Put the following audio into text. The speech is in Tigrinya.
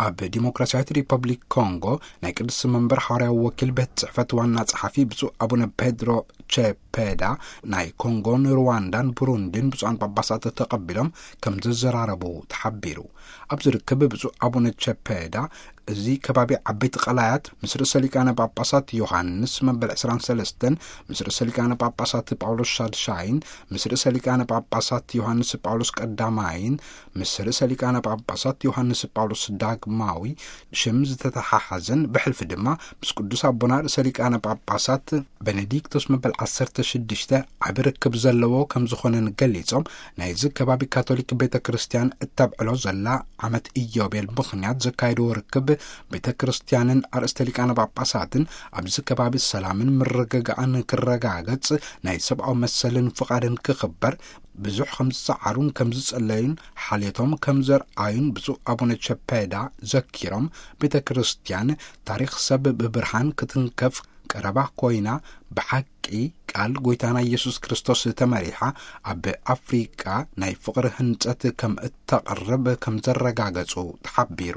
ኣብ ዲሞክራሲያዊት ሪፐብሊክ ኮንጎ ናይ ቅድስቲ መንበር ሓዋርያዊ ወኪል ቤት ጽሕፈት ዋና ጸሓፊ ብፁዕ ኣቡነ ፔድሮ ቼፔዳ፣ ናይ ኮንጎን ሩዋንዳን ብሩንዲን ብፁዓን ጳጳሳት ተቐቢሎም ከም ዘዘራረቡ ተሓቢሩ። ኣብዚ ርክብ ብፁዕ ኣቡነ ቼፔዳ፣ እዚ ከባቢ ዓበይቲ ቀላያት ምስ ርእሰ ሊቃነ ጳጳሳት ዮሃንስ መበል ዕስራን ሰለስተን፣ ምስ ርእሰ ሊቃነ ጳጳሳት ጳውሎስ ሻድሻይን፣ ምስ ርእሰ ሊቃነ ጳጳሳት ዮሃንስ ጳውሎስ ቀዳማይን፣ ምስ ርእሰ ሊቃነ ጳጳሳት ዮሃንስ ጳውሎስ ዳግማዊ ሽም ዝተተሓሓዘን፣ ብሕልፊ ድማ ምስ ቅዱስ ኣቦና ርእሰ ሊቃነ ጳጳሳት ቤኔዲክቶስ መበል ዓሰርተ ሽዱሽተ ዓቢ ርክብ ዘለዎ ከም ዝኾነን ገሊጾም፣ ናይዚ ከባቢ ካቶሊክ ቤተ ክርስቲያን እተብዕሎ ዘላ ዓመት ኢዮቤል ምኽንያት ዘካየድዎ ርክብ ቤተ ክርስቲያንን ኣርእስተ ሊቃነ ጳጳሳትን ኣብዚ ከባቢ ሰላምን ምርግጋእን ክረጋገጽ፣ ናይ ሰብኣዊ መሰልን ፍቓድን ክኽበር ብዙሕ ከም ዝጸዓሩን ከም ዝጸለዩን ሓልዮቶም ከም ዘርኣዩን ብፁዕ ኣቡነ ቸፔዳ ዘኪሮም፣ ቤተ ክርስቲያን ታሪኽ ሰብ ብብርሃን ክትንከፍ ቀረባ ኮይና፣ ብሓቂ ቃል ጎይታና ኢየሱስ ክርስቶስ ተመሪሓ ኣብ ኣፍሪቃ ናይ ፍቕሪ ህንጸት ከም እተቕርብ ከም ዘረጋገጹ ተሓቢሩ።